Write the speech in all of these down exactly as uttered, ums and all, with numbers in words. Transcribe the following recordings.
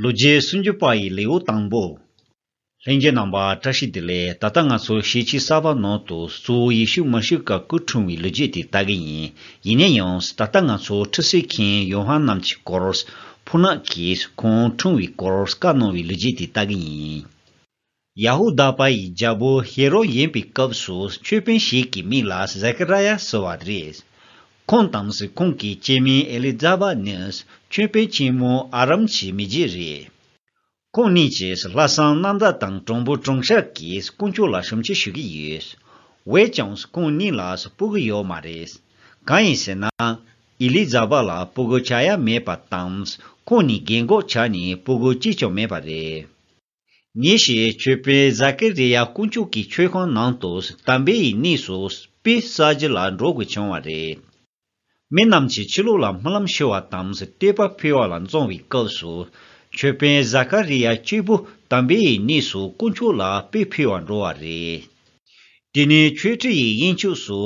ལོ་རྒྱུས་སུམ་ཅུ་པ་ཡི་ལེའུ་དང་པོ། ལྷན་རྒྱས་རྣམ་པ་བཀྲ་ཤིས་བདེ་ལེགས། ད་ལྟ་ང་ཚོ་ཤེས་བྱའི་གསར་པ་ནང་དུ་གཙོ་བོ་ཡེ་ཤུ་མ་ཤི་ཀ་སྐུ་འཁྲུངས་པའི་ལོ་རྒྱུས་དེ་ལྟ་གི་ཡིན། ཡིན་ན་ཡང་ད་ལྟ་ང་ཚོ་ཁྲུས་གསོལ་མཁན་ཡོ་ཧ་ནན་གྱི་སྐོར། ཕོ་ཉ་གིས་ཁོང་འཁྲུངས་པའི་སྐོར་བཀའ་གནང་བའི་ལོ་རྒྱུས་དེ་ལྟ་གི་ཡིན། ཡ་ཧུ་དཱ་པ་ཡི་རྒྱལ་པོ་ཧེ་རོ་ཡིན་པའི་སྐབས་སུ་ཆོས་དཔོན་ཞིག་གི་མིང་ལ་ཟ་ཀ་ར་ཡ་ཟེར་བ་རེད། ཁོང་དང་ཁོང་གི་སྐྱེ་དམན་ཨེ་ལི་ཛ་བ་ནི་ཆོས་དཔོན་ཆེན་མོ་ཨ་རམ་གྱི་མི་རྒྱུད་རེད། ཁོང་གཉིས་ཀྱིས་ལྷག་བསམ་རྣམ་དག་དང་དྲང་པོ་དྲང་བཞག་གིས་དཀོན་མཆོག་ལ་ཞབས་ཕྱི་ཞུ་གི་ཡོད། འོན་ཀྱང་ཁོང་གཉིས་ལ་སྤུ་གུ་ཡོད་མ་རེད། གང་ཡིན་ཟེར་ན། ཨེ་ལི་ཛ་བ་ལ་སྤུ་གུ་ཆགས་ཡ་མེད་པ་དང་། ཁོང་གཉིས་རྒན་གོག་ཆགས་ནས་སྤུ་གུ་གཅིག་ཀྱང་མེད་པ་རེད། ཉིན་ཞིག་ཆོས་དཔོན་ཟ་ཀི་རི་ཡ་དཀོན་མཆོག་གི་མཆོད་ཁང་ནང་དུ་དམ་པའི་གནས་སུ་དཔེ་བསགས་རྒྱུ་ལ་འགྲོ་དགོས་བྱུང་བ་རེད། མི་རྣམས་ཀྱིས་ཕྱི་ལོགས་ལ་སྨོན་ལམ་ཞུ་བ་དང་བསྟོད་པ་ཕུལ་བ་ལ་བརྩོན་པའི་སྐབས་སུ། ཆོས་དཔོན་ཟ་ཀ་རི་ཡ་གཅིག་པུ་དམ་པའི་གནས་སུ་དཀོན་མཆོག་ལ་དཔེ་ཕུལ་བར་འགྲོ་བ་རེད། དེ་ནས་མཆོད་ཁྲིའི་དབྱིངས་ཕྱོགས་སུ་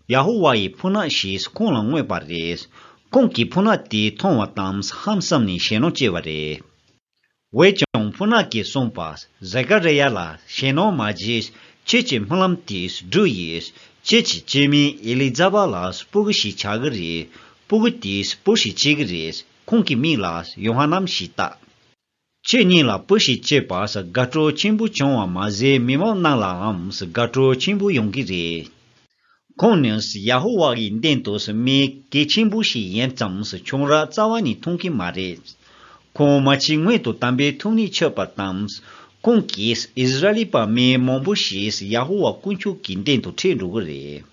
ཡ་ཧོ་ཝཱ་ཡི་ཕོ་ཉ་ཞིག་ཁོང་ལ་མངོན་པ་རེད། ཁོང་གིས་ཕོ་ཉ་དེ་མཐོང་བ་དང་ཧང་སངས་ནས་ཞེད་སྣང་སྐྱེས་པ་རེད། འོན་ཀྱང་ཕོ་ཉ་གིས་གསུངས་པ། ཟ་ཀ་རི་ཡ་ལགས། ཞེད་སྣང་མ་བྱེད། ཁྱེད་ཀྱི་སྨོན་ལམ་དེས་འགྲུབ་ཡོད། ཁྱེད་ཀྱི་སྐྱེ་དམན་ཨེ་ལི་ཛ་བ་ལ་སྤུ་གུ་ཞིག་ཆགས་ཀྱི་རེད། སྤུ་གུ་དེས་བུ་ཞིག་སྐྱེ་གི་རེད། ཁོང་གི་མིང་ལ་ཡོ་ཧ་ནན་ཞེས་བཏགས། ཁྱེད་གཉིས་ལ་བུ་ཞིག་སྐྱེས་པ་དགའ་སྤྲོ་ཆེན་པོ་བྱུང་བ་མ་ཟད་མི་མང་རྣམས་ལའང་དགའ་སྤྲོ་ཆེན་པོ་ཡོང་གི་རེད། ཁོང་ནི་ཡ་ཧོ་ཝཱ་ཡི་མདུན་དུ་མི་གལ་ཆེན་པོ་ཞིག་ཡིན་ཙང་ཁྱུང་ར་རྩ་བ་ནས་མཐོང་གི་མ་རེད། ཁོང་མ་ཕྱི་སྔོན་དུ་དམ་པའི་ཐུགས་ཉིད་ཆོད་པ་དང་། ཁོང་གིས་ཨིསི་ར་ཨེལ་པ་མི་མང་པོ་ཞིག་ཡ་ཧོ་ཝཱ་དཀོན་མཆོག་གི་མདུན་དུ་ཁྲིད་འགྲོ་གི་རེད།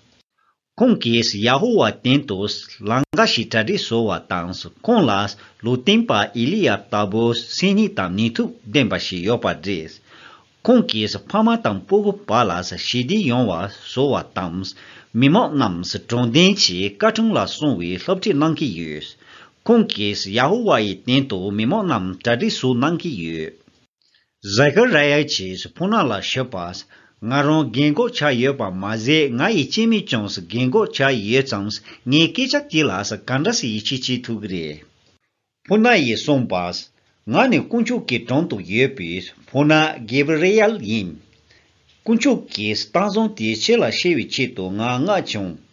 ཁོང་གིས་ཡ་ཧོ་ཝཱ་མདུན་དུ་ལམ་ཁ་ཞིག་གྲ་སྒྲིག་བཟོ་བ་དང་། ཁོང་ལ་ལུང་སྟོན་པ་ཨེ་ལི་ཡ་ལྟ་བུ་སེམས་ཉིད་དང་ནུས་མཐུ་ལྡན་པ་ཞིག་ཡོད་པ་རེད། ཁོང་གིས་ཕ་མ་དང་སྤུ་གུ་བར་ལ་ཞི་བདེ་ཡོང་བ་བཟོ་བ་དང་། མི་མང་རྣམས་དྲང་བདེན་གྱི་བཀའ་དྲིན་ལ་སོང་བའི་སློབ་ཁྲིད་གནང་གི་ཡོད། ཁོང་གིས་ཡ་ཧོ་ཝཱ་ཡི་མདུན་དུ་མི་མང་རྣམས་གྲ་སྒྲིག་ཞུ་གནང་གི་ཡོད། ཟ་ཀ་ར་ཡ་གྱིས་ཕོ་ཉ་ལ་ཞུས་པ། ང་རང་རྒན་གོག་ཆགས་ཡོད་པ་མ་ཟད་ང་ཡི་སྐྱེ་དམན་ཀྱང་རྒན་གོག་ཆགས་ཡོད་ཙང་ངས་སྐད་ཆ་དེ་ལ་ག་འདྲ་སེ་ཡིད་ཆེས་བྱེད་ཐུབ་ཀྱི་རེད། ཕོ་ཉ་ཡིས་གསུངས་པ། ང་ནི་དཀོན་མཆོག་གི་དྲུང་དུ་ཡོད་པའི་ཕོ་ཉ་གེབ་རི་ཨེལ་ཡིན། དཀོན་མཆོག་གི་གཏམ་བཟང་དེ་ཁྱེད་ལ་བཤད་པའི་ཆེད་དུ་ང་མངགས་བྱུང་།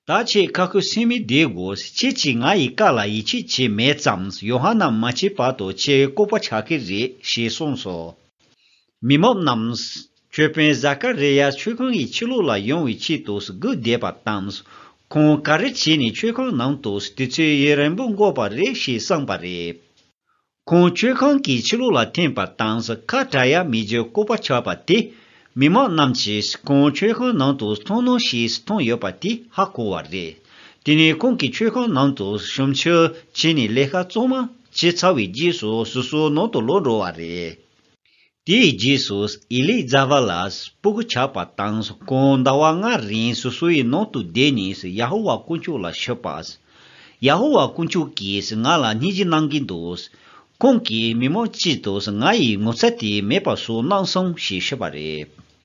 ད་ཁྱེད་ཁ་ཁུ་སིམ་མེར་བསྡད་དགོས། ཁྱེད་ཀྱིས་ང་ཡི་བཀའ་ལ་ཡིད་ཆེས་བྱས་མེད་ཙང་ཡོ་ཧ་ནན་མ་སྐྱེས་བར་དུ་ཁྱེད་ལྐུགས་པ་ཆགས་ཀྱི་རེད་ཞེས་གསུངས་སོ། མི་མང་རྣམས་ཆོས་དཔོན་ཟ་ཀ་རི་ཡ་མཆོད་ཁང་གི་ཕྱི་ལོགས་ལ་ཡོང་བའི་ཆེད་དུ་སྒུག་བསྡད་པ་དང་། ཁོང་ག་རེ་བྱས་ནས་མཆོད་ཁང་ནང་དུ་དུས་ཚོད་ཡུན་རིང་པོ་འགོར་བ་རེད་ཞེས་བསམས་པ་རེད། ཁོང་མཆོད་ཁང་གི་ཕྱི་ལོགས་ལ་འཐེན་པ་དང་ཁ་བྲལ་ཡ་མེད་རྒྱུ་ལྐུགས་པ་ཆགས་པ་དེ། མི་མང་རྣམས་ཀྱིས་ཁོང་མཆོད་ཁང་ནང་དུ་ཐོན་ནོ་ཞེས་མཐོང་ཡོད་པ་དེ་ཧ་གོ་བ་རེད། དེ་ནས་ཁོང་གིས་མཆོད་ཁང་ནང་དུ་ཞབས་ཕྱི་བྱས་ནས་ལས་ཀ་གཙང་མ་བྱས་ཚར་བའི་རྗེས་སུ་སོ་སོའི་ནང་དུ་ལོག་འགྲོ་བ་རེད། དེའི་རྗེས་སུ་ཨེ་ལི་ཛ་བ་ལ་སྤུ་གུ་ཆགས་པ་དང་ཁོང་ཟླ་བ་ལྔ་རིང་སོ་སོའི་ནང་དུ་བསྡད་ནས་ཡ་ཧོ་ཝཱ་དཀོན་མཆོག་ལ་ཞུས་པ། ཡ་ཧོ་ཝཱ་དཀོན་མཆོག་གིས་ང་ལ་སྙིང་རྗེ་གནང་གི་འདུག་ཁོང་གིས་མི་མང་དཀྱིལ་དུ་ང་ཡི་ངོ་ཚ་དེ་མེད་པ་བཟོ་གནང་སོང་ཞེས་ཞུས་པ་རེད།